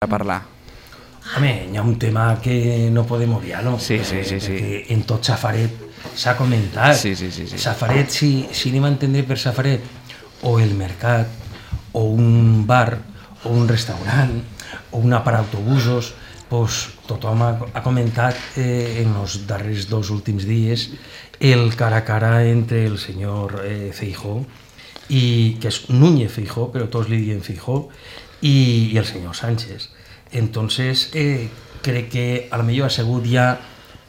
a parlar. Home, hi ha un tema que no podem obviar, no? Sí. Perquè en tot Safaret s'ha comentat. Sí. Safaret, si anem a entendre per Safaret, o el mercat, o un bar, o un restaurant, o una parada d'autobusos, pues, tothom ha comentat en els darrers 2 últims dies el cara a cara entre el senyor Feijóo, que és Núñez Feijóo, però tots li diuen Feijóo, i el senyor Sánchez. Entonces, crec que a lo millor ha sigut ja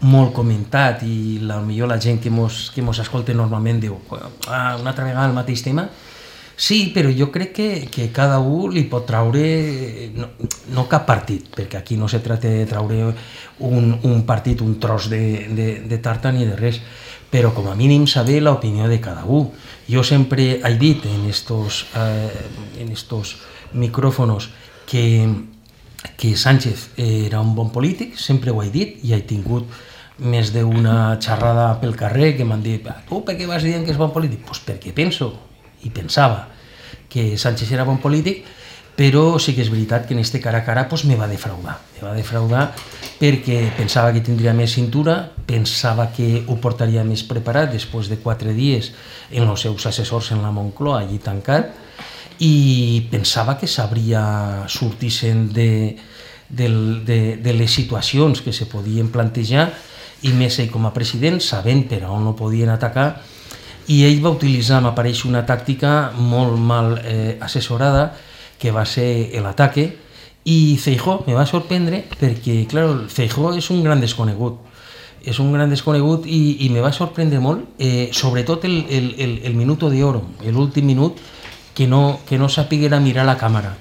molt comentat i a lo millor la gent que mos escolta normalment diu una altra vegada el mateix tema. Sí, però jo crec que cada un li pot traure, no cap partit, perquè aquí no se tracta de traure un partit, un tros de tarta ni de res, però com a mínim saber l'opinió de cada un. Jo sempre he dit en estos micrófonos que Sánchez era un bon polític, sempre ho he dit, i he tingut més d'una xerrada pel carrer que m'han dit tu per què vas dient que és bon polític? Doncs perquè penso i pensava que Sánchez era bon polític, però sí que és veritat que en este cara a cara pues, me va defraudar perquè pensava que tindria més cintura, pensava que ho portaria més preparat després de 4 dies en els seus assessors en la Moncloa allí tancat, i pensava que sabria sortir-se'n de les situacions que se podien plantejar, i més ell com a president, sabent per on no podien atacar, i ell va utilitzar, m'apareix, una tàctica molt mal assessorada, que va ser l'ataque, i Feijóo me va sorprendre perquè, clar, Feijóo és un gran desconegut, i me va sorprendre molt, sobretot el minuto de oro, l'últim minut, que no sapiguera mirar la càmera.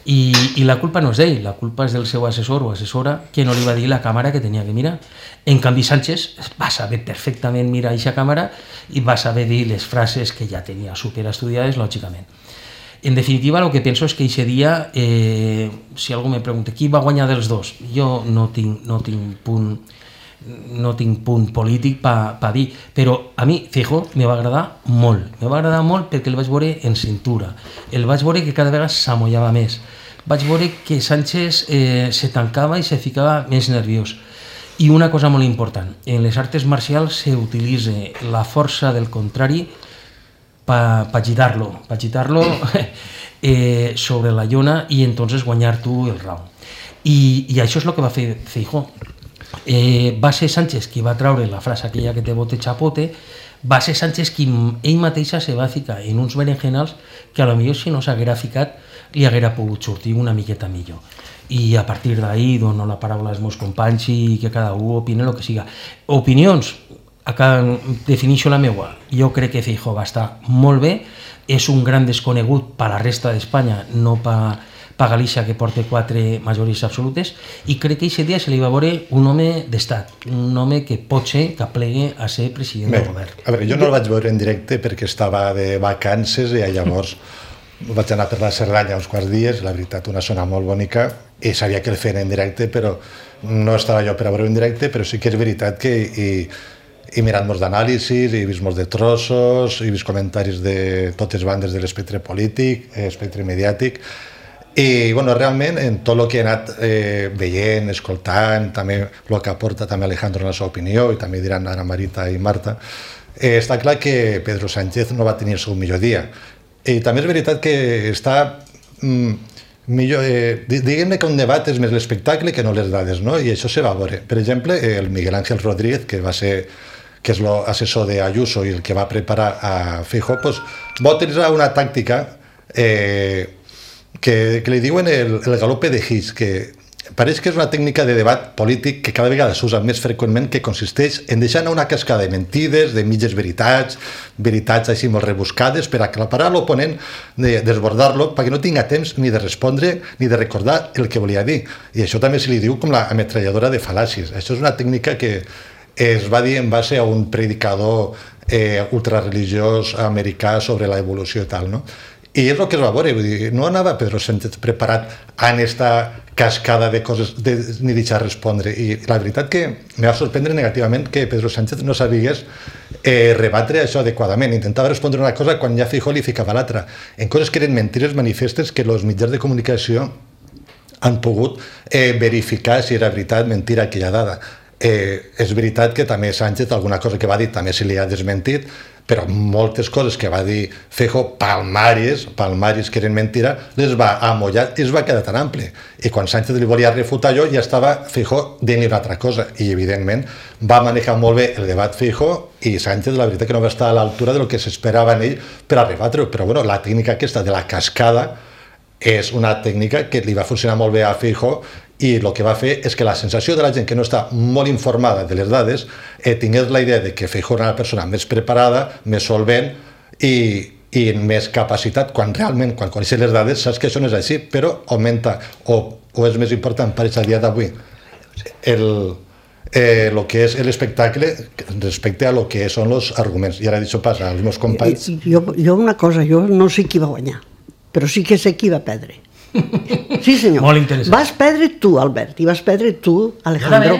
I la culpa no és d'ell, la culpa és del seu assessor o assessora que no li va dir la càmera que tenia que mirar. En canvi, Sánchez va saber perfectament mirar aquesta càmera i va saber dir les frases que ja tenia superestudiades, lògicament. En definitiva, el que penso és que aquest dia, si algú me pregunta qui va guanyar dels dos, jo no tinc punt polític per dir, però a mi Feijóo me va agradar molt perquè el vaig veure en cintura, el vaig veure que cada vegada s'amollava més, vaig veure que Sánchez se tancava i se ficava més nerviós. I una cosa molt important, en les arts marcials s'utilitza la força del contrari per girar-lo sobre la llona i entonces guanyar tu el round. I això és el que va fer Feijóo. Va ser Sánchez qui va traure la frase aquella que té bote chapote, va ser Sánchez qui ell mateixa se va ficar en uns berenjenals que a lo millor si no s'haguera ficat li haguera pogut sortir una miqueta millor. I a partir d'ahí dono la paraula als meus companys i que cada un opine el que siga. Opinions, acá defineixo la meua. Jo crec que Feijóo va estar molt bé, és un gran desconegut per la resta d'Espanya, no per Galícia, que porta 4 majories absolutes, i crec que aquest dia se li va veure un home d'estat, un home que pot ser que plegui a ser president del govern. A veure, jo no el vaig veure en directe perquè estava de vacances i llavors vaig anar per la Cerdanya uns quants dies, la veritat, una zona molt bonica, i sabia que el feien en directe, però no estava jo per a veure en directe, però sí que és veritat que he mirat molts d'anàlisis, he vist molts de trossos, he vist comentaris de totes bandes de l'espectre polític, espectre mediàtic, i bueno, realment en tot el que he anat veient, escoltant, també el que aporta també Alejandro en la seva opinió, i també diran ara Marita i Marta, està clar que Pedro Sánchez no va tenir el seu millor dia. I també és veritat que està millor, diguem-ne que un debat és més l'espectacle que no les dades, no? I això se va veure. Per exemple, el Miguel Ángel Rodríguez, que és l'assessor d'Ayuso i el que va preparar a Feijóo, doncs, va utilitzar una tàctica que li diuen el galope de His, que pareix que és una tècnica de debat polític que cada vegada s'usa més freqüentment, que consisteix en deixar anar una cascada de mentides, de mitges veritats així molt rebuscades, per aclaparar l'oponent, desbordar-lo, perquè no tinga temps ni de respondre ni de recordar el que volia dir. I això també se li diu com la ametralladora de fal·làcies. Això és una tècnica que es va dir en base a un predicador ultrareligiós americà sobre l'evolució i tal, no? I és el que es va veure, vull dir, no anava Pedro Sánchez preparat en esta cascada de coses ni deixar respondre, i la veritat que me va sorprendre negativament que Pedro Sánchez no sabigués rebatre això adequadament, intentava respondre una cosa quan ja Feijóo li ficava l'altra, en coses que eren mentides manifestes que els mitjans de comunicació han pogut verificar si era veritat, mentira aquella dada. És veritat que també Sánchez, alguna cosa que va dir també se li ha desmentit, però moltes coses que va dir Feijóo, palmaris que eren mentira, les va amollar i es va quedar tan ampli. I quan Sánchez li volia refutar allò, ja estava Feijóo dient-li una altra cosa. I, evidentment, va manejar molt bé el debat Feijóo i Sánchez, la veritat, que no va estar a l'altura del que s'esperava en ell per a rebatre-ho. Però, bueno, la tècnica aquesta de la cascada és una tècnica que li va funcionar molt bé a Feijóo i el que va fer és que la sensació de la gent que no està molt informada de les dades tingués la idea de que Feijóo era una persona més preparada, més solvent i més capacitat, quan realment, quan coneixes les dades, saps que això no és així, però augmenta, o és més important per a dia d'avui, el que és l'espectacle respecte a lo que són els arguments. I ara això passa als meus companys. Jo una cosa, jo no sé qui va guanyar, però sí que sé qui va perdre. Sí, senyor. Molt interessant. Vas perdre tu, Albert, i vas perdre tu, Alejandro,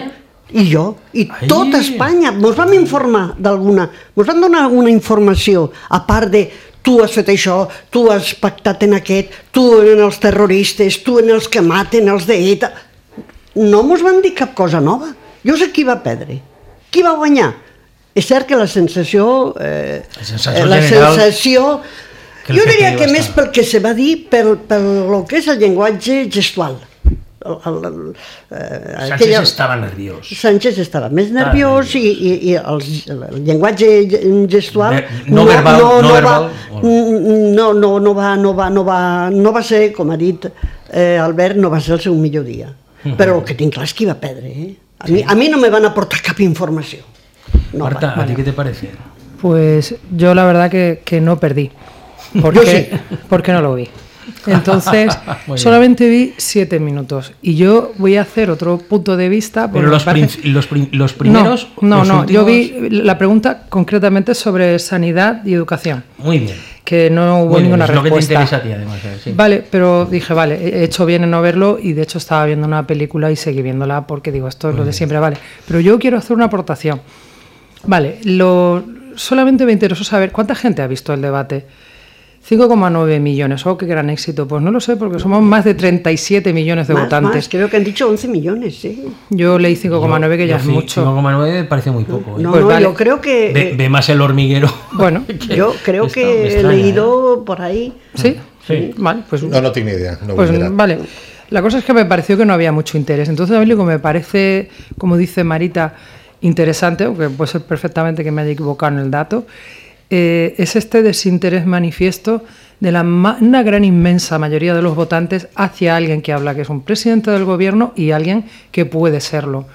i jo, i tota Espanya. Mos vam informar d'alguna, mos van donar alguna informació, a part de tu has fet això, tu has pactat en aquest, tu en els terroristes, tu en els que maten, els d'ETA. No mos van dir cap cosa nova. Jo sé qui va perdre. Qui va guanyar? És cert que la sensació... Jo diria que més pel que se va dir, pel que és el llenguatge gestual. Sánchez estava nerviós. Sánchez estava més nerviós i el llenguatge gestual no verbal no va ser, com ha dit Albert, no va ser el seu millor dia. Però el que tinc clar és qui va perdre. A mi no me van aportar cap informació. Marta, ¿a ti qué te parece? Pues yo la verdad que no perdí. Porque no lo vi. Entonces, solamente vi 7 minutos. Y yo voy a hacer otro punto de vista. Pero los primeros... No, yo vi la pregunta concretamente sobre sanidad y educación. Muy bien. Que no hubo ninguna respuesta. Es lo que te interesa a ti, además. Sí. Vale, pero dije, vale, he hecho bien en no verlo y de hecho estaba viendo una película y seguí viéndola porque digo, esto es lo de siempre, vale. Pero yo quiero hacer una aportación. Vale, solamente me interesó saber cuánta gente ha visto el debate. 5,9 millones, qué gran éxito. Pues no lo sé, porque somos más de 37 millones de votantes. Creo que han dicho 11 millones, sí. Yo leí 5,9, que ya es mucho. 5,9 parece muy poco. No, pues vale. Yo creo que... Ve más El Hormiguero. Bueno, yo creo que he leído por ahí... ¿Sí? Sí. Vale, pues... No tengo ni idea. Pues vale. La cosa es que me pareció que no había mucho interés. Entonces, a mí lo que me parece, como dice Marita, interesante, aunque puede ser perfectamente que me haya equivocado en el dato, es este desinterés manifiesto de una gran inmensa mayoría de los votantes hacia alguien que habla que es un presidente del gobierno y alguien que puede serlo.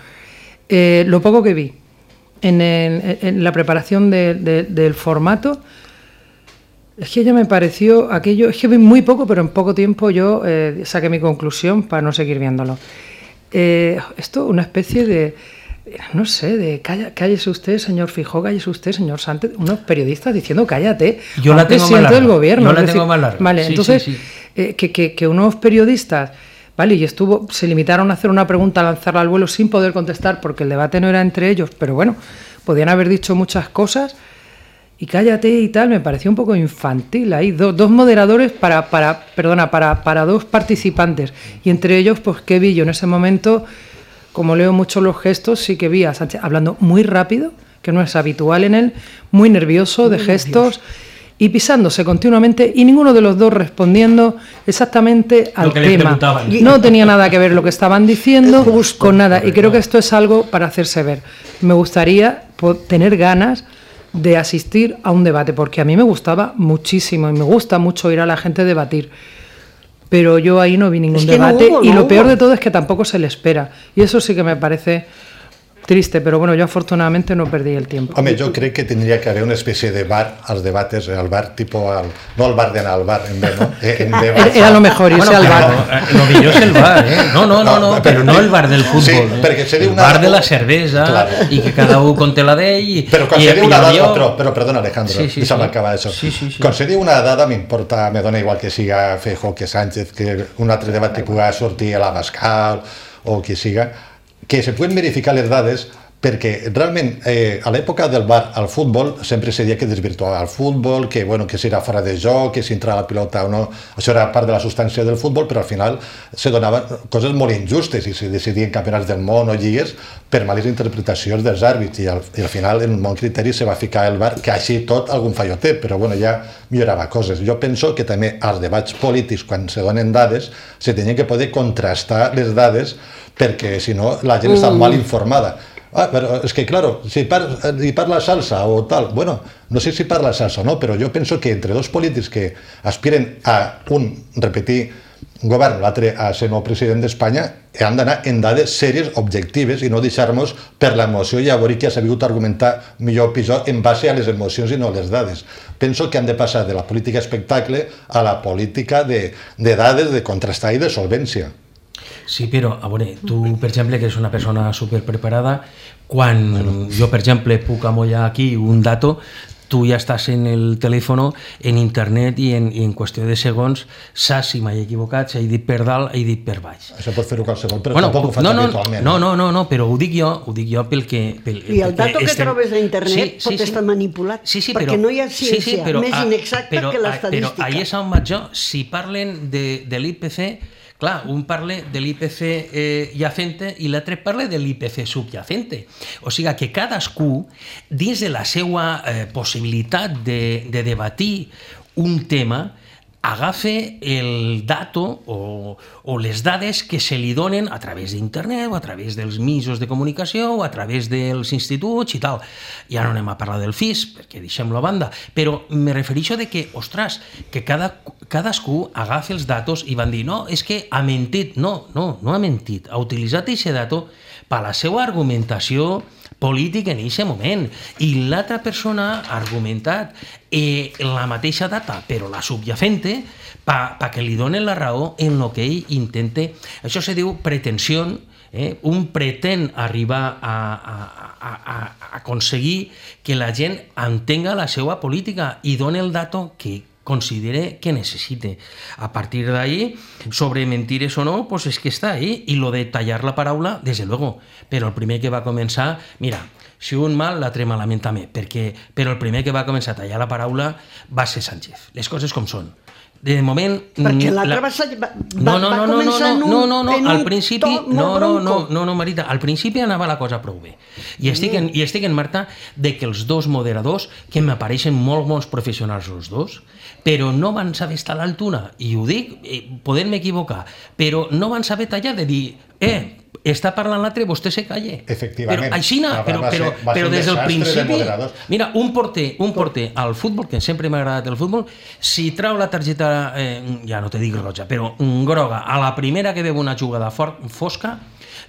Lo poco que vi en la preparación del formato, es que ya me pareció aquello, es que vi muy poco, pero en poco tiempo yo saqué mi conclusión para no seguir viéndolo. Esto, una especie de... No sé, de cállese usted, señor Feijóo, cállese usted, señor Sánchez, unos periodistas diciendo cállate, yo la tengo presidente del gobierno. Yo la tengo más larga. Vale, sí, entonces, sí. Que unos periodistas, vale, y se limitaron a hacer una pregunta, a lanzarla al vuelo sin poder contestar, porque el debate no era entre ellos, pero bueno, podían haber dicho muchas cosas, y cállate y tal, me pareció un poco infantil ahí, dos moderadores para dos participantes, y entre ellos, pues, ¿qué vi yo en ese momento? Como leo mucho los gestos, sí que vi a Sánchez hablando muy rápido, que no es habitual en él, muy nervioso de gestos y pisándose continuamente y ninguno de los dos respondiendo exactamente al tema. No tenía nada que ver lo que estaban diciendo con nada y creo que esto es algo para hacerse ver. Me gustaría tener ganas de asistir a un debate porque a mí me gustaba muchísimo y me gusta mucho ir a la gente a debatir. Pero yo ahí no vi ningún debate y lo peor de todo es que tampoco se le espera. Y eso sí que me parece triste, pero bueno, yo afortunadamente no perdí el tiempo. Home, jo crec que tindria que haver una espècie de bar als debates, el bar tipo, no el bar d'anar al bar, en B, ¿no? Era lo mejor irse al bar. Lo millor és el bar, ¿eh? No, però no el bar del futbol. Sí, perquè se diu el bar de la cervesa, claro. I que cada un conté la d'ell. Però quan se diu una dada, però perdona Alejandro, deixa'm acabar això. Quan se diu una dada m'importa, me dona igual que siga Feijóo, que Sánchez, que un altre debat que pugui sortir a l'Abascal o que siga, que se pueden verificar les dades perquè realment a l'època del bar al futbol sempre se deia que desvirtuava el futbol, que, bueno, que si era fora de joc, que si entrava la pilota o no, això era part de la substància del futbol, però al final se donaven coses molt injustes i se decidien campionats del món o lligues per males interpretacions dels àrbits i al final en un bon criteri se va ficar el bar, que així tot algun fallo té, però bueno, ja millorava coses. Jo penso que també als debats polítics, quan se donen dades, se tenien que poder contrastar les dades perquè si no la gent està mal informada. Però és que, claro, si parla salsa o tal, bueno, no sé si parla salsa o no, però jo penso que entre dos polítics que aspiren a repetir govern, l'altre a ser nou president d'Espanya, han d'anar en dades sèries, objectives, i no deixar-nos per l'emoció i a veure qui ha sabut argumentar millor o pitjor en base a les emocions i no a les dades. Penso que han de passar de la política espectacle a la política de dades, de contrastar i de solvència. Sí, però, a veure, tu, per exemple, que és una persona superpreparada, quan jo, per exemple, puc amollar aquí un dato, tu ja estàs en el telèfon, en internet, i en qüestió de segons saps si m'he equivocat, si he dit per dalt, he dit per baix. Això pot fer-ho qualsevol, però tampoc ho faig habitualment. No, però ho dic jo pel que... I el dato que trobes a internet pot estar manipulat, perquè no hi ha ciència més inexacta que l'estadística. Però ahí és on vaig jo. Si parlen de l'IPC, clar, un parla de l'IPC llacente i l'altre parla de l'IPC subyacente. O sigui que cadascú, dins de la seva possibilitat de debatir un tema, agafe el dato o les dades que se li donen a través d'internet o a través dels mitjans de comunicació o a través dels instituts i tal. Ja no anem a parlar del FIS, perquè deixem-lo a banda, però me refereixo de que, ostres, que cadascú agafa els datos i van dir, no, és que ha mentit. No ha mentit. Ha utilitzat aquest dato per la seva argumentació polític en aquest moment, i l'altra persona ha argumentat la mateixa data, però la subyacente, perquè li donen la raó en el que ell intenta. Això se diu pretensió. Un pretén arribar a aconseguir que la gent entenga la seva política i doni el dato que considere que necessite. A partir d'ahí, sobre mentires o no, pues és que està ahí. I lo de tallar la paraula, desde luego. Però el primer que va començar, mira, si un mal, l'altre malament també, però el primer que va començar a tallar la paraula va ser Sánchez. Les coses com són. De moment... Perquè l'altre va començar en un to molt bronco. No, Marita, al principi anava la cosa prou bé. I estic en Marta de que els dos moderadors, que m'apareixen molts professionals els dos, però no van saber estar a l'altura, i ho dic, podent-me equivocar, però no van saber tallar de dir, està parlant l'altre, vostè se calle. Efectivament. Però així, però des del principi... Mira, un porter al futbol, que sempre m'ha agradat el futbol, si trau la targeta, ja no te dic roja, però groga, a la primera que veu una jugada fosca,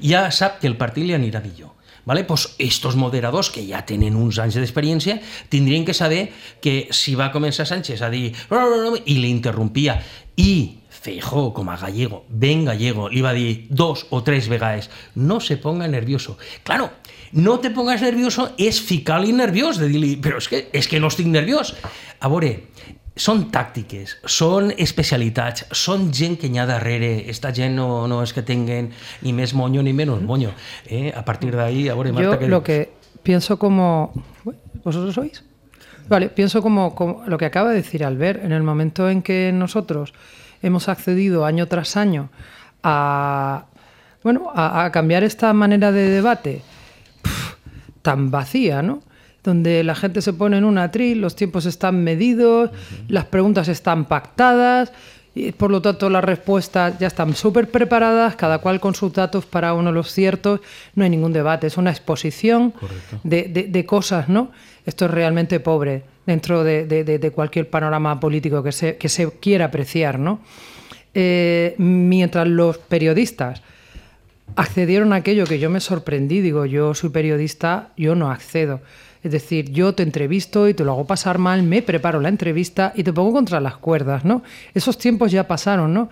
ja sap que el partit li anirà millor. Vale? Pues estos moderadors, que ja tenen uns anys d'experiència, tindrien que saber que si va començar Sánchez a dir i l'interrompia, i Feijóo, com a gallego, ben gallego, li va dir 2 o 3 vegades, no se ponga nervioso. Claro, no te pongas nervioso és ficar-li nerviós, de dir-li, però és que no estic nerviós. A veure, són tàctiques, són especialitats, són gent que hi ha darrere. Esta gent no és que tinguen ni més moño ni menos moño. A partir de ahí, a veure, Marta... Yo lo que pienso como... ¿Vosotros oís? Vale, pienso como lo que acaba de decir Albert. En el momento en que nosotros hemos accedido año tras año a cambiar esta manera de debate tan vacía, ¿no? Donde la gente se pone en un atril, los tiempos están medidos, las preguntas están pactadas, y por lo tanto las respuestas ya están súper preparadas, cada cual con sus datos para uno los ciertos, no hay ningún debate, es una exposición de cosas, ¿no? Esto es realmente pobre dentro de cualquier panorama político que se quiera apreciar, ¿no? Mientras los periodistas accedieron a aquello que yo me sorprendí, digo, yo soy periodista, yo no accedo. Es decir, yo te entrevisto y te lo hago pasar mal, me preparo la entrevista y te pongo contra las cuerdas, ¿no? Esos tiempos ya pasaron, ¿no?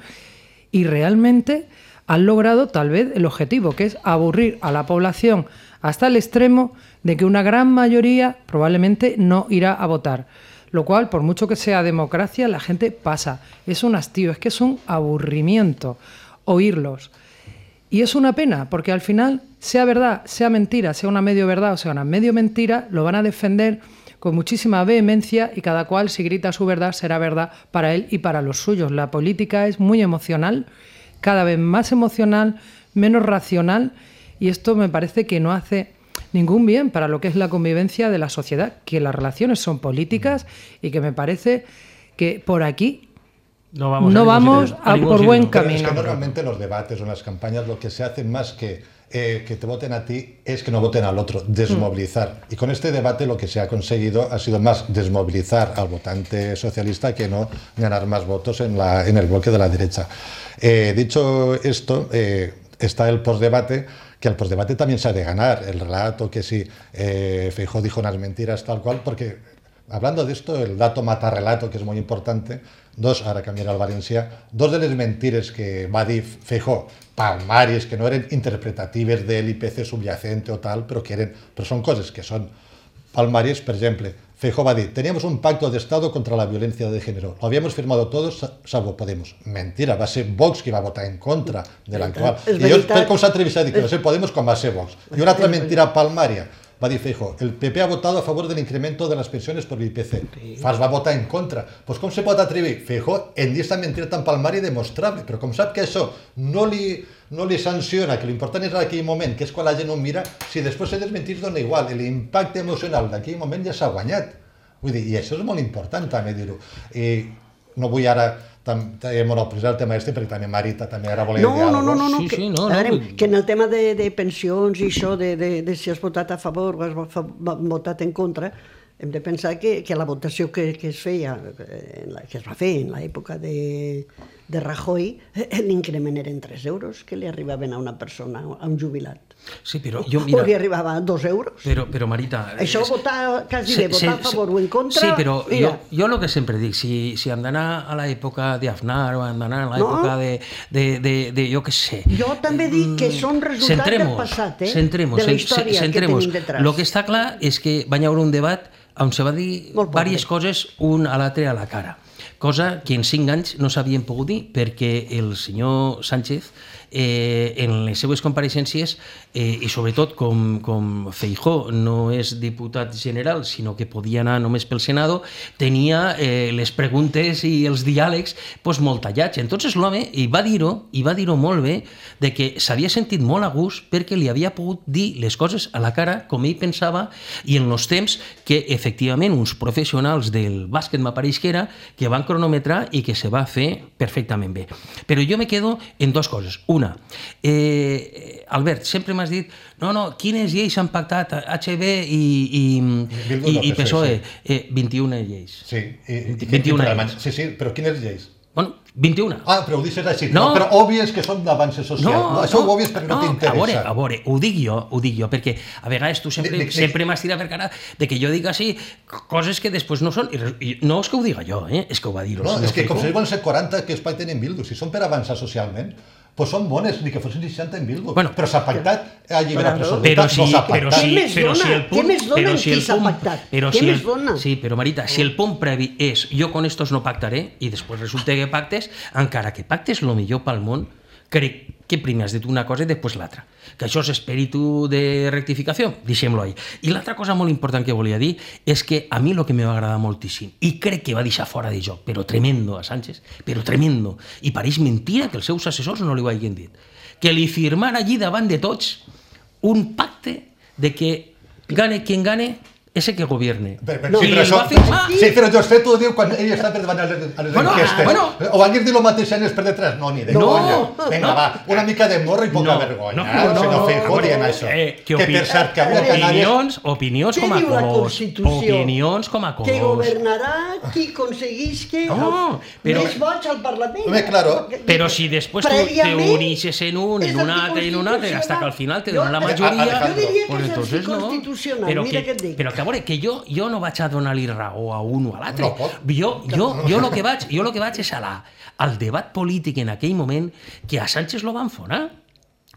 Y realmente han logrado tal vez el objetivo, que es aburrir a la población hasta el extremo de que una gran mayoría probablemente no irá a votar. Lo cual, por mucho que sea democracia, la gente pasa. Es un hastío, es que es un aburrimiento oírlos. Y es una pena, porque al final sea verdad, sea mentira, sea una medio verdad o sea una medio mentira, lo van a defender con muchísima vehemencia y cada cual, si grita su verdad, será verdad para él y para los suyos. La política es muy emocional, cada vez más emocional, menos racional, y esto me parece que no hace ningún bien para lo que es la convivencia de la sociedad, que las relaciones son políticas y que me parece que por aquí no vamos a por buen camino. Es que normalmente en los debates o en las campañas lo que se hace más que te voten a ti es que no voten al otro, desmovilizar. Y con este debate lo que se ha conseguido ha sido más desmovilizar al votante socialista que no ganar más votos en el bloque de la derecha. Dicho esto, está el postdebate, que el postdebate también se ha de ganar. El relato que si Feijóo dijo unas mentiras tal cual, porque hablando de esto, el dato mata relato, que és molt important, ara canviarà el valencià, dos de les mentires que va dir Feijóo, palmàries, que no eren interpretatives de l'IPC subyacente o tal, però són coses que són palmàries. Per exemple, Feijóo va dir, teníamos un pacto de Estado contra la violencia de género, lo habíamos firmado todos salvo Podemos. Mentira, va ser Vox qui va votar en contra de l'actual. I llavors, com s'atreveix a dir que va ser Podemos com va ser Vox? I una altra mentira palmària, va dir Feijóo, el PP ha votado a favor del incremento de las pensiones por el IPC. Fas va votar en contra. Pues com se pot atrevir? Feijóo en dir esta mentira tan palmària i demostrable, però com sap que això no li sanciona, que l'important és en aquell moment, que és quan la gent ho mira, si després se desmentís dona igual, l'impacte emocional d'aquell moment ja s'ha guanyat. Vull dir, i això és molt important també dir-ho. I no vull ara monopolitzar el tema perquè també Marita també ara volia dir alguna cosa. Que en el tema de pensions i això, de si has votat a favor o has votat en contra, hem de pensar que la votació que es feia, que es va fer en l'època de Rajoy, l'increment eren 3 euros que li arribaven a una persona, a un jubilat. Sí, però jo, mira... O li arribava a 2 euros. Però Marita... Això votar, quasi bé, votar a favor o en contra... Sí, però jo el que sempre dic, si hem d'anar a l'època d'Aznar o hem d'anar a l'època de jo què sé... Jo també dic que són resultats del passat, de la història que tenim detrás. El que està clar és que va haver un debat on se va dir diverses coses un a l'altre a la cara, cosa que en 5 anys no s'havien pogut dir perquè el senyor Sánchez en les seues compareixences i sobretot com Feijóo no és diputat general sinó que podia anar només pel Senado, tenia les preguntes i els diàlegs molt tallats. Entonces l'home va dir-ho molt bé, de que s'havia sentit molt a gust perquè li havia pogut dir les coses a la cara com ell pensava i en els temps que efectivament uns professionals del bàsquet m'apareix que era, que van cronometrar i que se va fer perfectament bé. Però jo me quedo en 2 coses. Una, Albert, sempre m'has dit quines lleis han pactat HB i PSOE? 21 lleis. Sí, 21 lleis. Sí, però quines lleis? Bueno, 21. Però ho deixes així. No, però òbvies que són d'avanç social. Això ho òbvies perquè no t'interessa. A veure, ho dic jo, perquè a vegades tu sempre m'has tirat per cara de que jo dic així coses que després no són. No és que ho diga jo, és que ho va dir el senyor Feijóo. És que com si van ser 40 que es pacten en Bildu, si són per avançar socialment, doncs són bones, ni que fossin 60 en Bildu. Però s'ha pactat a llibre absolut. No s'ha pactat. Què més dona qui s'ha pactat? Què més dona? Sí, però Marita, si el punt previ és jo con estos no pactaré i després resulta que pactes, encara que pactes el millor pel món, crec que primer has dit una cosa i després l'altra. Que això és espíritu de rectificació, deixem-lo ahí. I l'altra cosa molt important que volia dir és que a mi el que me va agradar moltíssim, i crec que va deixar fora de joc, però tremendo a Sánchez, però tremendo, i pareix mentira que els seus assessors no li ho hagin dit, que li firmara allí davant de tots un pacte de que gane quien gane, ese que gobierne. Sí, però José t'ho diu quan ell està per davant a les enquestes. O van dir-li el mateix anys per detrás? No, ni de conya. Vinga, va, una mica de morro i poca vergonya. Senyor Feijóo dient això. Que per cert, que avui a Canàries... Opinions com a cos. Opinions com a cos. Que governarà qui aconseguisca més vots al Parlament. Però si després te unixes en un, en un altre, hasta que al final te donen la majoria... Jo diria que és anticonstitucional, mira què et dic. Però que a veure, que jo no vaig a donar-li raó a un o a l'altre. Jo el que vaig és al debat polític en aquell moment que a Sánchez lo van fonar.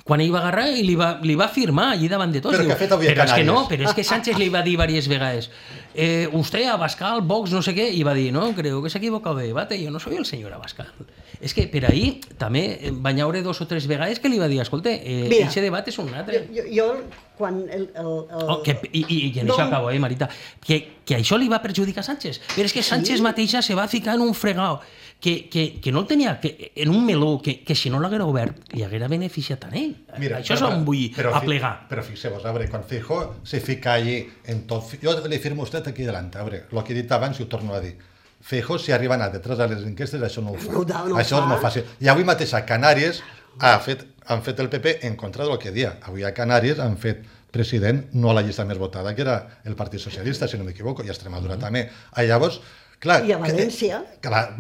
quan ell va agarrar i li va firmar allí davant de tots. Però què ha fet avui a Canàries? Però és que no, però és que Sánchez li va dir diverses vegades usted Abascal, Vox, no sé què, i va dir, no, creo que s'ha equivocat de debate, yo no soy el señor Abascal. És que per ahir també van haure 2 o 3 vegades que li va dir, escolta, aquest debat és un altre. Jo quan I en això acabo, Marita, que això li va perjudicar a Sánchez, però és que Sánchez mateixa se va ficar en un fregau que no el tenia, en un meló que si no l'haguera obert li haguera beneficiat a ell. Això és on vull aplegar. Però fixeu-vos, a veure, quan Feijóo se fica allí en tot... Jo li firmo a usted aquí davant, a veure, el que he dit abans i ho torno a dir. Feijóo, si arriba a anar detrás de les enquestes, això no ho fa. Això és molt fàcil. I avui mateix a Canàries han fet el PP en contra del que dia. Avui a Canàries han fet president no a la llista més votada, que era el Partit Socialista, si no m'equivoco, i a Extremadura també. Llavors, clar... I a València?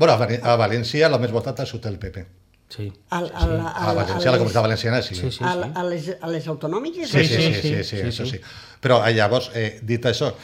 Bueno, a València el més votat ha sigut el PP. Sí. A València, a la Comunitat Valenciana, sí. A les autonòmiques? Sí, això sí. Però llavors, dit això,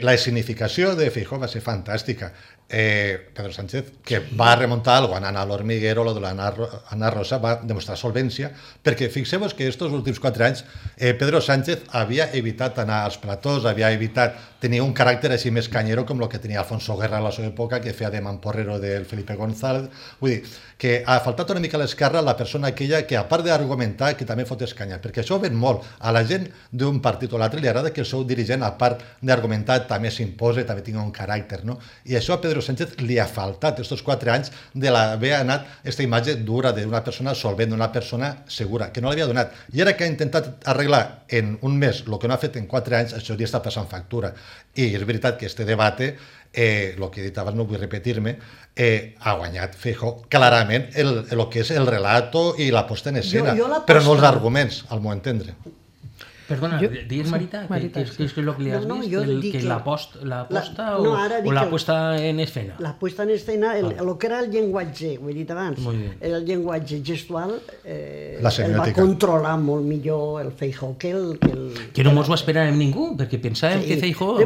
la escenificació de Feijóo va ser fantàstica. Pedro Sánchez, que va remuntar algo anant a l'Hormiguero, lo de l'Anna Rosa, va demostrar solvència, perquè fixeu-vos que estos últims 4 anys Pedro Sánchez havia evitat anar als platós, havia evitat tenir un caràcter així més canyero com el que tenia Alfonso Guerra a la seva època, que feia de mamporrero del Felipe González. Vull dir, que ha faltat una mica a l'esquerra la persona aquella que, a part d'argumentar, que també fot escanya, perquè això ven molt. A la gent d'un partit o l'altre li agrada que el seu dirigent, a part d'argumentar, també s'impose, també tingui un caràcter, no? I això a Pedro Sánchez li ha faltat estos 4 anys d'haver anat aquesta imatge dura d'una persona solvent, d'una persona segura, que no l'havia donat. I ara que ha intentat arreglar en un mes el que no ha fet en 4 anys, això li està passant factura. I és veritat que este debate, el que he dit abans, no vull repetir-me, ha guanyat Feijóo clarament el que és el relato i la posta en escena, però no els arguments, al meu entendre. Perdona, digues, Marita, què és el que li has vist? La posta o la puesta en escena? La puesta en escena, el que era el llenguatge, ho he dit abans, el llenguatge gestual el va controlar molt millor el Feijóo que el... Que no mos ho esperàvem ningú, perquè pensàvem que Feijóo...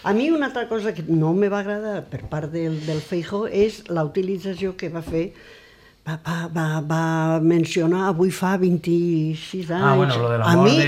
A mi una altra cosa que no me va agradar per part del Feijóo és la utilització que va fer. Va mencionar avui fa 26 anys. Bueno, lo de la mort de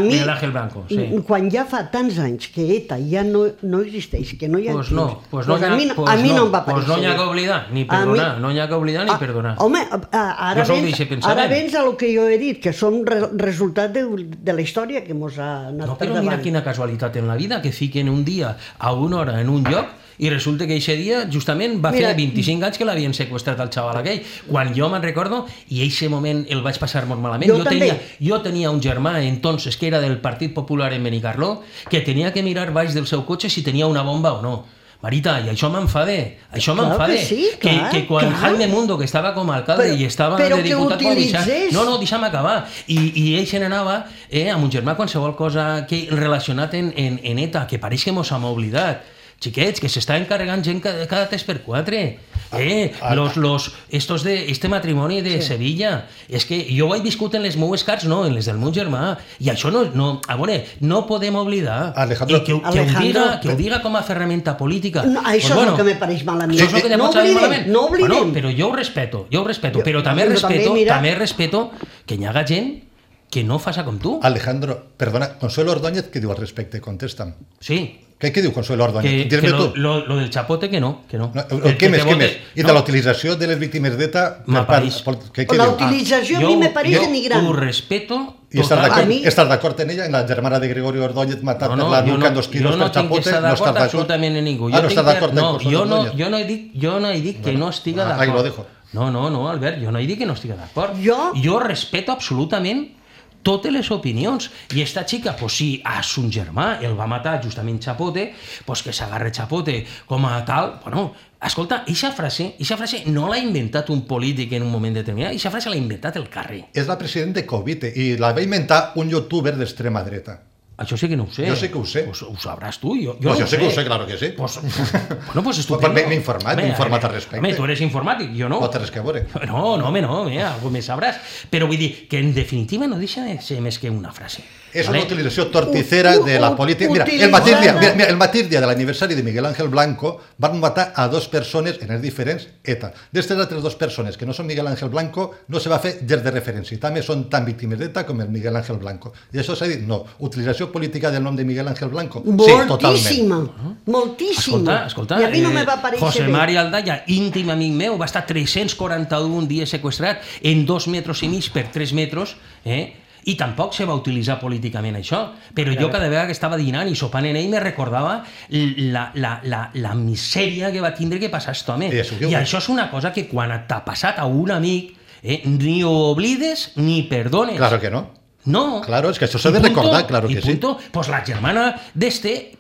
Miguel Ángel Blanco, sí. Quan ja fa tants anys que ETA ja no existeix, que no hi ha temps, a mi no em va parèixer. Pues no hi ha que oblidar, ni perdonar, no hi ha que oblidar ni perdonar. Home, ara vens a lo que jo he dit, que som resultat de la història que mos ha anat per davant. No, però mira quina casualitat en la vida, que fiquen un dia a una hora en un lloc i resulta que aquest dia justament va fer 25 anys que l'havien seqüestrat al xaval aquell. Quan jo me'n recordo, i en aquest moment el vaig passar molt malament, jo tenia un germà entonces que era del Partit Popular en Benicarló, que tenia que mirar baix del seu cotxe si tenia una bomba o no. Marita, i això m'enfada, que quan Jaime Mundo, que estava com a alcalde i estava de diputat provincial, no, deixa'm acabar, i ell se n'anava amb un germà qualsevol cosa relacionat en ETA, que pareix que mos hem oblidat. Xiquets, que s'està encarregant gent cada 3x4. Este matrimoni de Sevilla, és que jo ho he viscut en les meues cars, no, en les del meu germà, i això no podem oblidar, i que ho diga com a ferramenta política. Això és el que me pareix malament. Això és el que te pot saber malament. No oblidem. Però jo ho respeto, però també respeto que hi haga gent que no faça com tu. Alejandro, perdona, Consuelo Ordóñez, què diu al respecte? Contesta'm. Sí. Què diu Consuelo Ordóñez? Que lo del chapote que no. Què més? I de la utilització de les víctimes d'ETA? La utilització a mi me pareix denigrant. Jo ho respeto. I estàs d'acord en ella, en la germana de Gregorio Ordóñez matat per la nuca en 2 quilos per chapote? Jo no tinc que estar d'acord absolutament en ningú. No estàs d'acord amb Consuelo Ordóñez? Jo no he dit que no estiga d'acord. Ahí lo dejo. No, Albert, jo no he dit que no estiga d'acord. Jo respeto absolutament totes les opinions. I esta xica, pues si a son germà el va matar justament Chapote, pues que s'agarre Chapote com a tal, bueno, escolta, eixa frase no l'ha inventat un polític en un moment determinat, eixa frase l'ha inventat el carrer. És la president de Covite i la va inventar un youtuber d'extrema dreta. Això sí que no ho sé. Jo sí que ho sé. Pues ho sabràs tu. Jo sí que ho sé, claro que sí. Pues estupendo. M'he informat al respecte. Home, tu eres informàtic, jo no. No té res que veure. No, algú més sabràs. Però vull dir que en definitiva no deixa de ser més que una frase. És una utilització torticera de la política. Mira, el mateix dia de l'aniversari de Miguel Ángel Blanco van matar a 2 persones en els diferents ETA. D'estes altres 2 persones que no són Miguel Ángel Blanco no se va fer gens de referència. També són tan víctimes d'ETA com el Miguel Ángel Blanco. I això s'ha dit, no. Utilització política del nom de Miguel Ángel Blanco? Sí, totalment. Moltíssima. Escolta, I a mi no me va aparèixer José Mari Aldaya, íntim amic meu, va estar 341 dies seqüestrat en 2 metres i mig per 3 metres, i tampoc se va utilitzar políticament això, però jo cada vegada que estava dinant i sopant en ell me recordava la misèria que va tindre que passar aquest home. I això és una cosa que quan t'ha passat a un amic ni ho oblides ni perdones. Claro que no. No. Claro, es que això s'ha de recordar, claro que sí. Pues la germana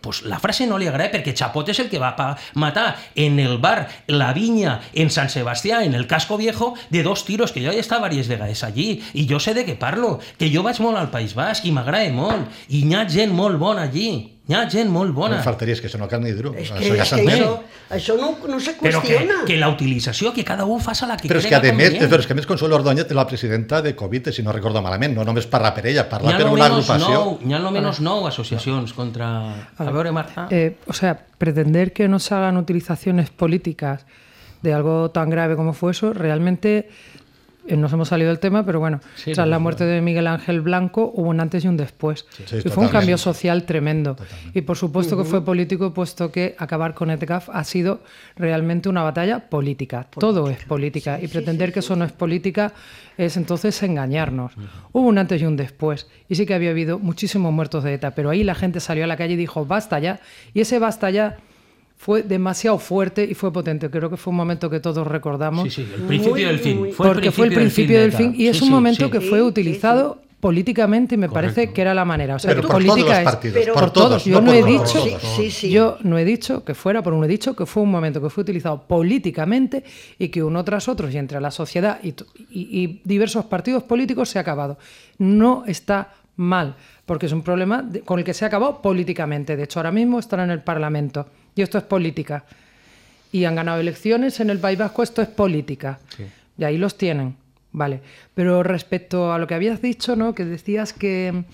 pues la frase no li agrada perquè Chapot és el que va matar en el bar La Viña en Sant Sebastià, en el Casco Viejo, de 2 tiros, que jo he estat diverses vegades allí, i jo sé de què parlo, que jo vaig molt al País Basc i m'agrada molt, i hi ha gent molt bona allí. Hi ha gent molt bona. No faltaria, és que això no cal ni dir-ho. Això no se qüestiona. Però que la utilització, que cada un faci la que crega convenient. Però és que a més Consuelo Ordóñez és la presidenta de Covid, si no recordo malament, no només parla per ella, parla per una agrupació. Hi ha almenys 9 asociacions contra... A veure, Marta. O sea, pretender que no se hagan utilizaciones políticas de algo tan grave como fue eso, realmente... Nos hemos salido del tema, pero bueno, tras la muerte de Miguel Ángel Blanco hubo un antes y un después. Y fue un cambio social tremendo. Totalmente. Y por supuesto que fue político, puesto que acabar con ETCAF ha sido realmente una batalla política. Todo es política. Y pretender que eso no es política es entonces engañarnos. Hubo un antes y un después. Y sí que había habido muchísimos muertos de ETA, pero ahí la gente salió a la calle y dijo, basta ya. Y ese basta ya fue demasiado fuerte y fue potente. Creo que fue un momento que todos recordamos. Sí, el principio del fin. Porque fue el principio del fin y es un momento que fue utilizado políticamente y me parece que era la manera. O sea, pero por política todos los partidos, por todos. Yo no he dicho, yo no he dicho que fuera, pero no he dicho que fue un momento que fue utilizado políticamente y que uno tras otro y entre la sociedad y diversos partidos políticos se ha acabado. No está mal, porque es un problema con el que se ha acabado políticamente. De hecho, ahora mismo están en el Parlamento. Y esto es política. Y han ganado elecciones en el País Vasco, esto es política. Sí. Y ahí los tienen, vale. Pero respecto a lo que habías dicho, ¿no? Que decías que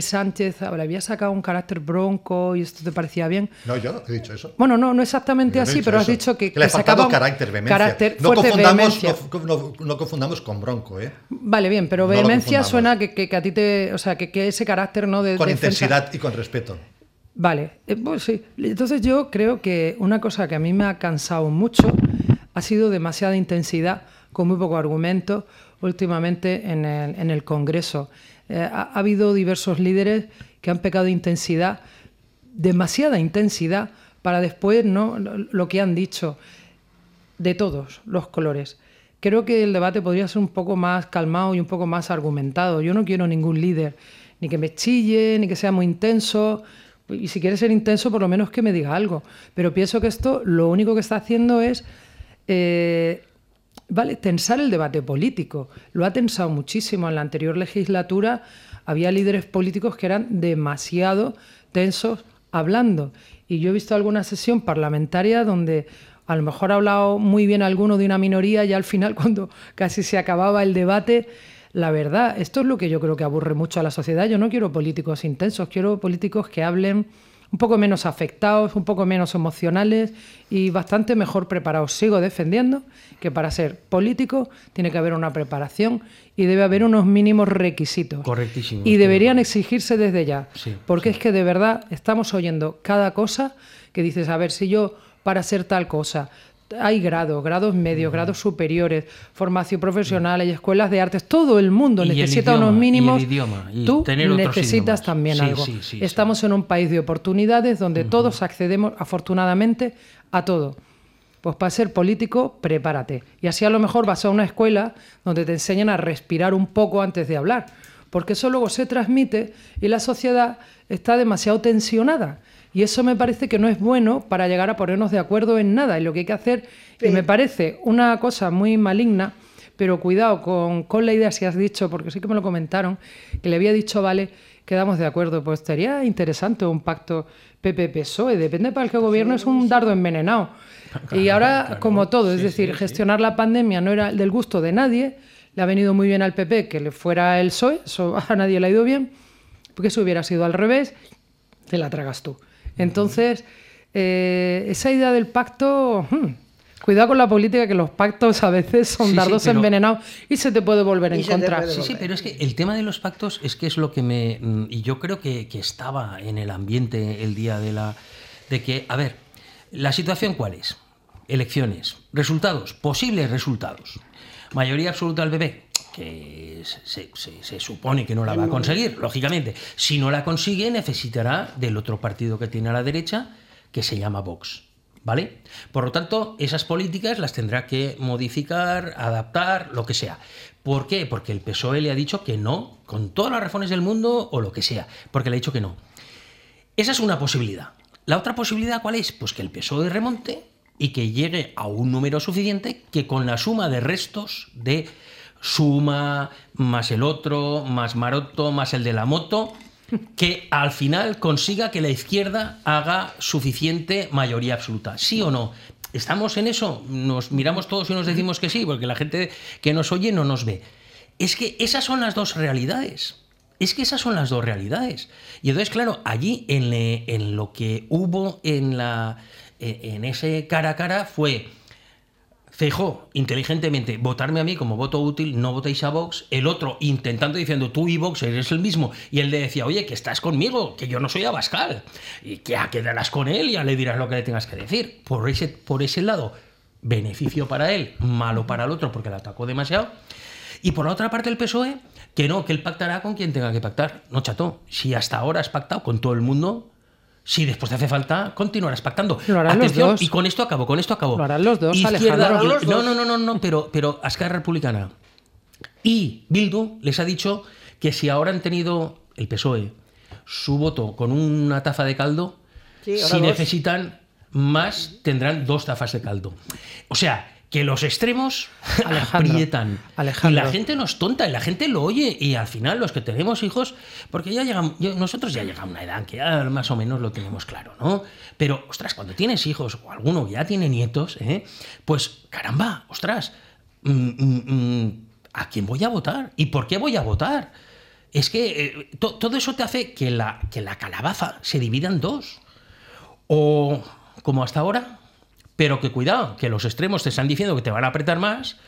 Sánchez le había sacado un carácter bronco y esto te parecía bien. No, yo he dicho eso. Bueno, no exactamente así, pero has dicho que le sacaba carácter, vehemencia. No confundamos con bronco, ¿eh? Vale, bien, pero vehemencia suena que a ti te... O sea, que ese carácter, ¿no? Con intensidad y con respeto. Vale, pues sí. Entonces yo creo que una cosa que a mí me ha cansado mucho ha sido demasiada intensidad con muy poco argumento últimamente en el Congreso. Ha habido diversos líderes que han pecado de intensidad, demasiada intensidad, para después no lo que han dicho de todos los colores. Creo que el debate podría ser un poco más calmado y un poco más argumentado. Yo no quiero ningún líder, ni que me chille, ni que sea muy intenso. Y si quiere ser intenso, por lo menos que me diga algo. Pero pienso que esto lo único que está haciendo es tensar el debate político. Lo ha tensado muchísimo. En la anterior legislatura había líderes políticos que eran demasiado tensos hablando. Y yo he visto alguna sesión parlamentaria donde a lo mejor ha hablado muy bien alguno de una minoría y al final, cuando casi se acababa el debate... La verdad, esto es lo que yo creo que aburre mucho a la sociedad. Yo no quiero políticos intensos, quiero políticos que hablen un poco menos afectados, un poco menos emocionales y bastante mejor preparados. Sigo defendiendo que para ser político tiene que haber una preparación y debe haber unos mínimos requisitos. Correctísimo. Y deberían exigirse desde ya, porque sí. Es que de verdad estamos oyendo cada cosa que dices, a ver, si yo para ser tal cosa... Hay grados medios, grados superiores, formación profesional, hay escuelas de artes, todo el mundo necesita unos mínimos. Tú necesitas también algo. Sí, estamos en un país de oportunidades donde todos accedemos afortunadamente a todo. Pues para ser político, prepárate. Y así a lo mejor vas a una escuela donde te enseñan a respirar un poco antes de hablar, porque eso luego se transmite y la sociedad está demasiado tensionada. Y eso me parece que no es bueno para llegar a ponernos de acuerdo en nada. Y lo que hay que hacer, y me parece una cosa muy maligna, pero cuidado con la idea, si has dicho, porque sí que me lo comentaron, que le había dicho, vale, quedamos de acuerdo. Pues sería interesante un pacto PP-PSOE, depende para el que gobierno, es un dardo envenenado. Y ahora, como todo, es decir, gestionar la pandemia no era del gusto de nadie, le ha venido muy bien al PP que le fuera el PSOE, eso a nadie le ha ido bien. porque si hubiera sido al revés, te la tragas tú. Entonces, esa idea del pacto... Cuidado con la política, que los pactos a veces son dardos envenenados y se te puede volver en contra. Sí, pero es que el tema de los pactos es que es lo que y yo creo que estaba en el ambiente el día de que, a ver, ¿la situación cuál es? Elecciones, resultados, posibles resultados. Mayoría absoluta del PP, que se supone que no la va a conseguir, lógicamente. Si no la consigue, necesitará del otro partido que tiene a la derecha, que se llama Vox. ¿Vale? Por lo tanto, esas políticas las tendrá que modificar, adaptar, lo que sea. ¿Por qué? Porque el PSOE le ha dicho que no, con todas las razones del mundo o lo que sea, porque le ha dicho que no. Esa es una posibilidad. La otra posibilidad, ¿cuál es? Pues que el PSOE remonte y que llegue a un número suficiente que con la suma de restos de Suma, más el otro, más Maroto, más el de la moto, que al final consiga que la izquierda haga suficiente mayoría absoluta. ¿Sí o no? ¿Estamos en eso? Nos miramos todos y nos decimos que sí, porque la gente que nos oye no nos ve. Es que esas son las dos realidades. Es que esas son las dos realidades. Y entonces, claro, allí en lo que hubo en ese cara a cara fue... Feijóo, inteligentemente, votarme a mí como voto útil, no votéis a Vox. El otro intentando diciendo, tú y Vox eres el mismo. Y él le decía, oye, que estás conmigo, que yo no soy Abascal. Y que ya quedarás con él y ya le dirás lo que le tengas que decir. Por ese lado, beneficio para él, malo para el otro porque le atacó demasiado. Y por la otra parte el PSOE, que no, que él pactará con quien tenga que pactar. No, chato, si hasta ahora has pactado con todo el mundo... Si después te hace falta, continuarás pactando. Lo harán Atención, los dos. Y con esto acabo. Lo harán los dos, Izquierda, Alejandro. No, pero Esquerra Republicana y Bildu les ha dicho que si ahora han tenido el PSOE su voto con una taza de caldo, si necesitan más, tendrán 2 tazas de caldo. O sea... que los extremos aprietan. Y la gente no es tonta, y la gente lo oye, y al final los que tenemos hijos, porque nosotros ya llegamos a una edad que ya más o menos lo tenemos claro, ¿no? Pero, ostras, cuando tienes hijos, o alguno ya tiene nietos, pues, caramba, ostras, ¿a quién voy a votar? ¿Y por qué voy a votar? Es que todo eso te hace que la calabaza se divida en 2. O, como hasta ahora... Pero que cuidado, que los extremos te están diciendo que te van a apretar más,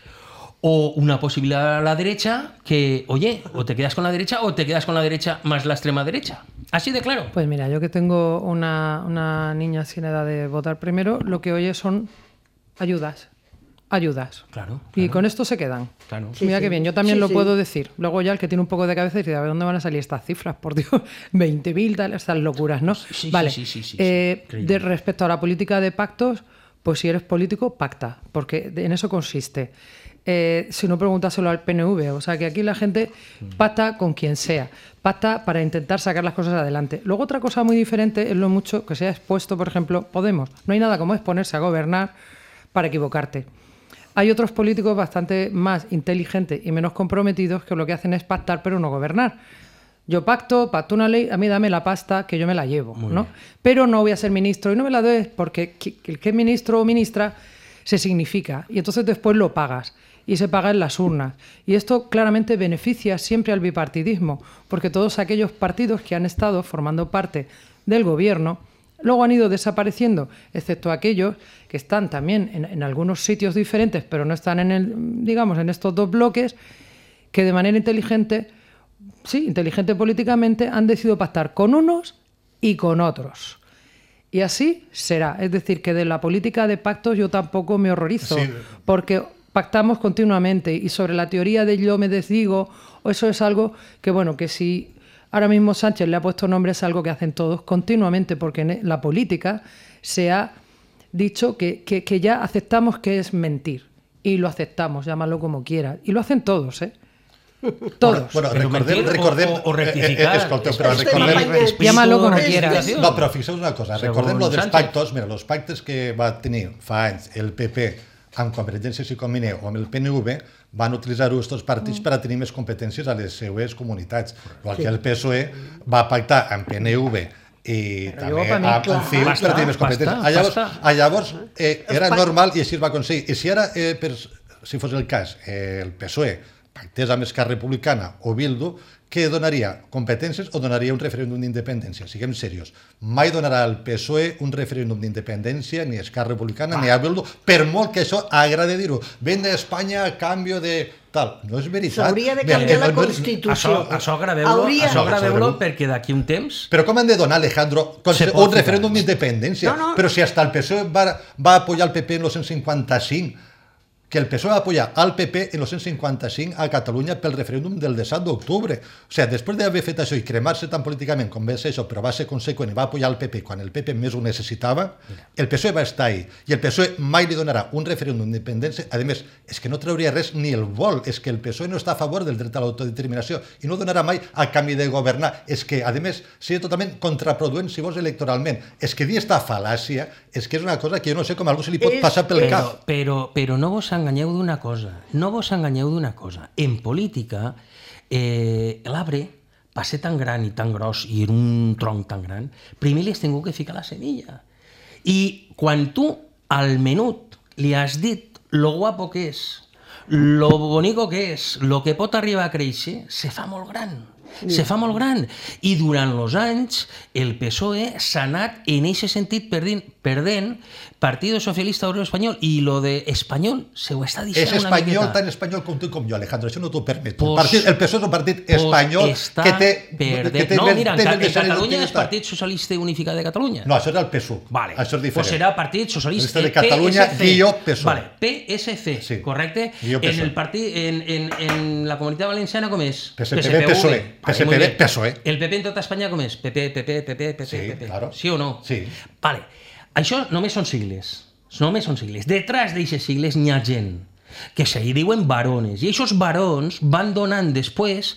o una posibilidad a la derecha que, oye, o te quedas con la derecha o te quedas con la derecha más la extrema derecha. Así de claro. Pues mira, yo que tengo una niña sin edad de votar primero, lo que oye son ayudas. Claro. Y con esto se quedan. Claro. Sí, mira qué bien, yo también lo puedo decir. Luego ya el que tiene un poco de cabeza dice, a ver, ¿dónde van a salir estas cifras? Por Dios, 20.000, estas locuras, ¿no? Vale. Respecto a la política de pactos, pues si eres político, pacta, porque en eso consiste. Si no, pregúntaselo al PNV. O sea, que aquí la gente pacta con quien sea. Pacta para intentar sacar las cosas adelante. Luego, otra cosa muy diferente es lo mucho que se ha expuesto, por ejemplo, Podemos. No hay nada como exponerse a gobernar para equivocarte. Hay otros políticos bastante más inteligentes y menos comprometidos que lo que hacen es pactar pero no gobernar. Yo pacto una ley, a mí dame la pasta que yo me la llevo, ¿no? Pero no voy a ser ministro y no me la doy porque el que es ministro o ministra se significa y entonces después lo pagas y se paga en las urnas. Y esto claramente beneficia siempre al bipartidismo porque todos aquellos partidos que han estado formando parte del gobierno luego han ido desapareciendo, excepto aquellos que están también en algunos sitios diferentes pero no están en estos 2 bloques que de manera inteligente políticamente, han decidido pactar con unos y con otros. Y así será. Es decir, que de la política de pactos yo tampoco me horrorizo, porque pactamos continuamente y sobre la teoría de yo me desdigo, o eso es algo que, bueno, que si ahora mismo Sánchez le ha puesto nombre es algo que hacen todos continuamente, porque en la política se ha dicho que ya aceptamos que es mentir. Y lo aceptamos, llámalo como quieras. Y lo hacen todos, Todos. Bueno, recordem o rectificar. Escolteu, però recordem... Llámalo como quieras. No, però fixeu una cosa, recordem lo dels pactos, mira, els pactes que va tenir fa anys el PP amb Convergència i Comunica o amb el PNV van utilitzar-ho aquests partits per a tenir més competències a les seues comunitats. Igual que el PSOE va pactar amb PNV i també amb CiU per a tenir més competències. Llavors era normal i així es va aconseguir. I si ara, si fos el cas, el PSOE pactés amb Esquerra Republicana o Bildu, que donaria competències o donaria un referèndum d'independència? Siguem serios. Mai donarà el PSOE un referèndum d'independència, ni Esquerra Republicana, ni Bildu, per molt que això agrade dir-ho. Vende a Espanya a canvi de tal. No és veritat. S'hauria de canviar la Constitució. Això graveu-lo perquè d'aquí un temps... Però com han de donar, Alejandro, un referèndum d'independència? Però si hasta el PSOE va apoyar el PP en el 155, que el PSOE va apoyar al PP en el 155 a Catalunya pel referèndum del 17 d'octubre. O sigui, després d'haver fet això i cremar-se tan políticament com va ser això, però va ser conseqüent i va apoyar el PP quan el PP més ho necessitava, el PSOE va estar ahí. I el PSOE mai li donarà un referèndum d'independència. A més, és que no trauria res ni el vol. És que el PSOE no està a favor del dret a l'autodeterminació i no donarà mai a canvi de governar. És que, a més, seria totalment contraproduent, si vols, electoralment. És que dir esta fal·làcia és que és una cosa que jo no sé com a algú se li pot passar pel cap. Però no vos enganyeu d'una cosa. En política, l'arbre, per ser tan gran i tan gros i en un tronc tan gran, primer li has tingut que ficar la semilla. I quan tu al menut li has dit lo guapo que és, lo bonico que és, lo que pot arribar a créixer, se fa molt gran. I durant els anys el PSOE s'ha anat en aquest sentit perdent Partido Socialista Obrero Espanyol, i lo de espanyol se ho està deixant una miqueta. És espanyol, tan espanyol com tu i com jo, Alejandro, això no t'ho permeto. El PSOE és un partit espanyol que té... No, mira, en Catalunya és Partit Socialista Unificat de Catalunya. No, això era el PSUV. Això és diferent. Pues serà Partit Socialista de Catalunya, guió PSOE. Vale, PSC, correcte? En la Comunitat Valenciana com és? PSPV, PSOE. El PP en tota Espanya com és? PP. Sí o no? Sí. Vale. Això només són sigles. Detrás d'aquestes sigles n'hi ha gent que se li diuen varones, i aquests varons van donant després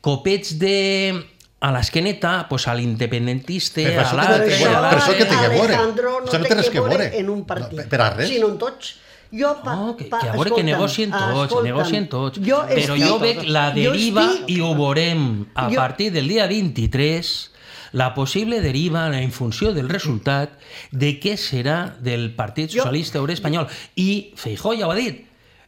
copets a l'esqueneta a l'independentista, a l'altre... Per això que té que veure. Això no té res que veure en un partit, sinó en tots. Que a veure que negocien tots. Però jo veig la deriva, i ho veurem a partir del dia 23, la possible deriva en funció del resultat de què serà del Partit Socialista Obrer Espanyol. I Feijóo ja ho ha dit,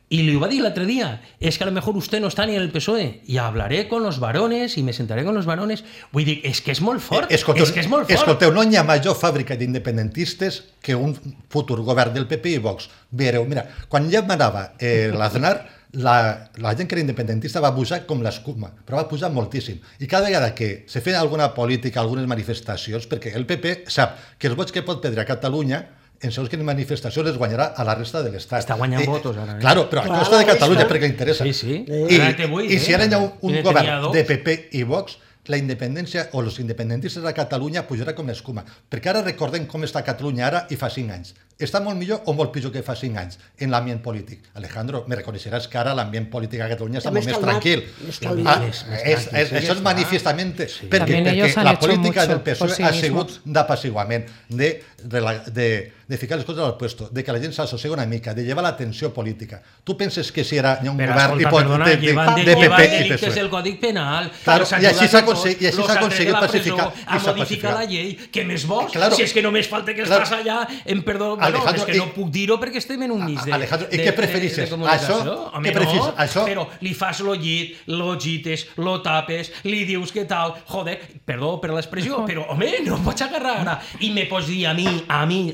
y le iba a decir el otro día, es que a lo mejor usted no está ni en el PSOE, y hablaré con los varones y me sentaré con los varones. Vull dir, és que és molt fort. Escolteu, no hi ha major fàbrica d'independentistes que un futur govern del PP i Vox. Veureu, mira, quan ja manava l'Aznar, la gent que era independentista va pujar com l'escuma, però va pujar moltíssim. I cada vegada que se feia alguna política, algunes manifestacions, perquè el PP sap que els vots que pot perdre a Catalunya en segons quines manifestacions es guanyarà a la resta de l'Estat. Està guanyant votos ara. Claro, però a costa de Catalunya, perquè li interessa. Sí. I si ara hi ha un govern de PP i Vox, la independència o els independentistes a Catalunya pujarà com l'escuma. Perquè ara recordem com està Catalunya ara i fa 5 anys. Està molt millor o molt pitjor que fa 5 anys en l'ambient polític? Alejandro, me reconeixeràs que ara l'ambient polític a Catalunya està molt més tranquil. Això és manifestament perquè la política del PSOE ha sigut d'apaciguament, de ficar les coses al puesto, de que la gent s'assossega una mica, de llevar l'atenció política. Tu penses que si hi ha un govern de PP i PSOE... el Còdic Penal, i així s'ha aconseguit pacificar a modificar la llei, que més vols? Si és que només falta que estàs allà en perdó... és que no puc dir-ho perquè estem en un mig de Alejandro, i què preferisses? Això? Però li fas lo llit, lo gites, lo tapes, li dius que tal, joder, perdó per l'expressió, però home, no em pots agarrar ara i me pots dir a mi,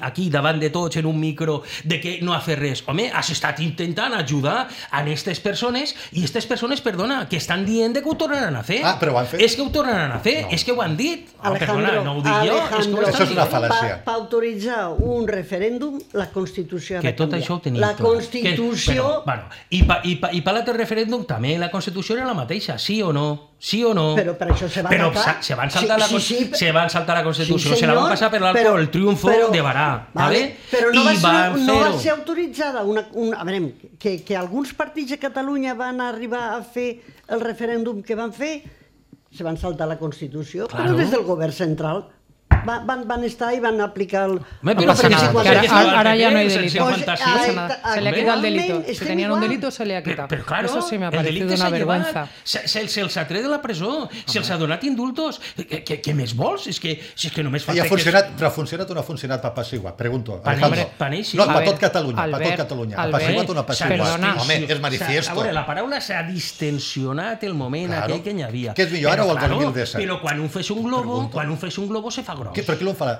aquí davant de tots en un micro, de que no ha fet res. Home, has estat intentant ajudar a aquestes persones i aquestes persones, perdona, que estan dient que ho tornaran a fer. Però ho han fet. És que ho tornaran a fer, és que ho han dit. Perdona, no ho dic jo, és que ho estan dient. Això és una fal·làcia. Per autoritzar un referèndum, la Constitució ha de canviar. Que tot això ho tenim. La Constitució... I per l'altre referèndum també la Constitució era la mateixa, sí o no? Sí o no? Però per això se van se van saltar la Constitució, se la van passar per l'alto el triunfo de Barà, ¿vale? Però no va ser autoritzada a veure, que alguns partits de Catalunya van arribar a fer el referèndum que van fer, se van saltar la Constitució, però des del govern central van estar i van aplicar el... Pero ahora ya no hay delito. Pues, Se le ha quitado el delito. Si estem tenían un igual. delito, se le ha quitado. Pero claro, eso sí me ha el parecido delicte una s'ha llevat. vergüenza. Se'ls ha tret de la presó, se'ls ha donat indultos. Què més vols? És que només I falta... ha funcionat, però ha funcionat o no ha funcionat per Passigua? Pregunto. Per ell sí. No, A per ver, tot Catalunya, per Albert, tot Catalunya. Ha Albert, Passigua o no ha Passigua? perdona. Home, és manifiesto. A veure, la paraula s'ha distensionat el moment Claro. aquell que n'hi havia. Què és millor, ara o el claro, 2017? Però quan un fes un globo se fa gros. Però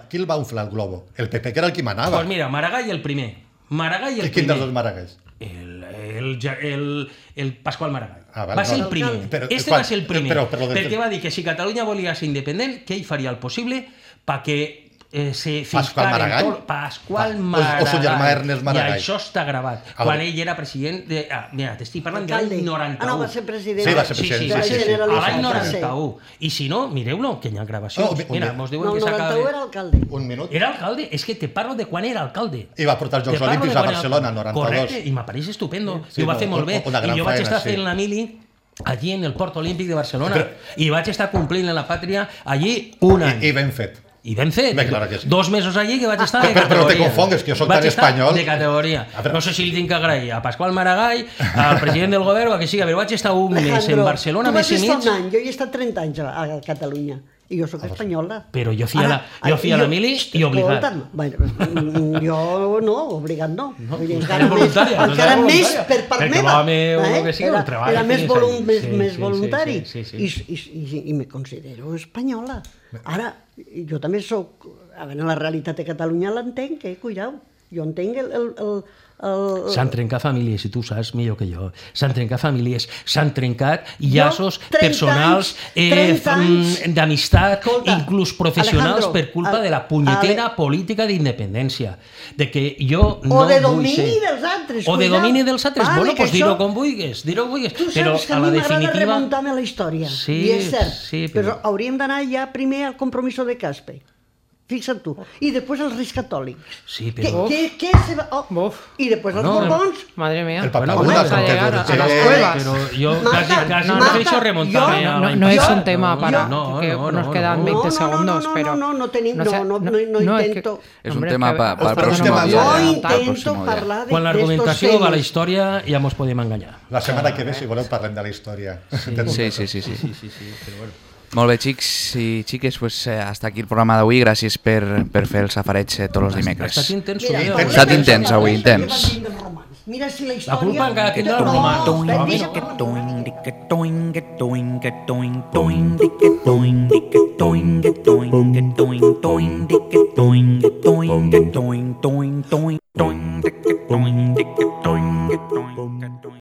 qui el va inflar el globo? El PP, que era el qui manava. Pues mira, Maragall el primer. Maragall el Quin primer. dels dos Maragalls? El Pasqual Maragall. Vale, va ser no. el primer. Però, Va ser el primer. però perquè va dir que si Catalunya volia ser independent, que ell faria el possible perquè se Pasqual Maragall? Pasqual O Maragall. su germà Ernest Maragall. I això està gravat. Quan ell era president de... mira, t'estic parlant de Alcalde. l'any 91. No, va ser president. Sí, va ser president. Sí, de la va ser a Generalitat. l'any Va ser. 91. I si no, mireu-lo, que hi ha gravacions. No, Mira, un mos diuen No, que el s'acaba 91 de... era alcalde. Un minut. Era alcalde, és que te parlo de quan era alcalde. I va portar els Jocs Te parlo Olímpics de a quan era Barcelona, alcalde. 92. Correcte, i m'apareix estupendo. Sí, I ho va no, fer molt bé. una gran I jo vaig faena, estar sí. fent la mili allí en el Port Olímpic de Barcelona i vaig estar complint en la pàtria allí un any. I ben fet. I ben fet. Bé, claro que sí. 2 mesos allí que vaig estar de Però categoria. te confongues, que jo soc tan Vaig estar espanyol. de categoria. A veure. No sé si li tinc que agrair a Pasqual Maragall, al president del govern o a que sigui, però vaig estar un mes en Barcelona, mes i Tu mig. vas estar un any, jo hi he estat 30 anys a Catalunya. I jo sóc espanyola. Però jo feia la mili i obligat. Escolta'm, bueno, jo no, obligat no. Vull dir, era voluntària, encara no era més voluntària. per part Perquè meva. l'home, o que sigui, el treball era més, que sí, més sí, voluntari. sí. I me considero espanyola. Ara, jo també sóc... A veure, la realitat de Catalunya l'entenc, cuidao. Jo entenc S'han trencat famílies, i tu saps millor que jo. S'han trencat famílies, s'han trencat llaços personals, d'amistat, inclús professionals, per culpa de la punyetera política d'independència. De que jo no o de vull domini ser... dels altres. O de domini dels altres. Vale, Bueno, que pues dir-ho això- com vulguis, dir-ho vulguis. Tu Però saps que a a la mi m'agrada definitiva... remuntar-me a la història, Sí, i és cert, sí, però hauríem d'anar ja primer al compromiso de Caspe. Fixa't tu. I després els Reis Catòlics. Sí, però... Què se va... Uf. I després els No, Borbons. Madre mía. El Papa Bueno, Buda, vamos a Santiago llegar a Ortega. las cuevas. Però jo Marta, quasi Marta, prefereixo remuntar-me jo- a... No es Yo- un tema para no, que no, nos no, quedan no. 20 segundos, pero no tenim, sea- no es que- intento. Es un hombre, tema que- para el Ostras, próximo no día. No Para el intento próximo día. parlar de Quan l'argumentació va a la història ja mos podem enganyar. La setmana que ve, si voleu, parlem de la història. Sí. Sí, però bueno. Molt bé, xics i xiques, pues, hasta aquí el programa d'avui. Gràcies per fer el safareig tots els Ha dimecres. estat intens Mira, avui. Ha estat intens avui, intens. Mira si la història... La culpa encara tindrà els No, romans. espera, No, mira. Toing,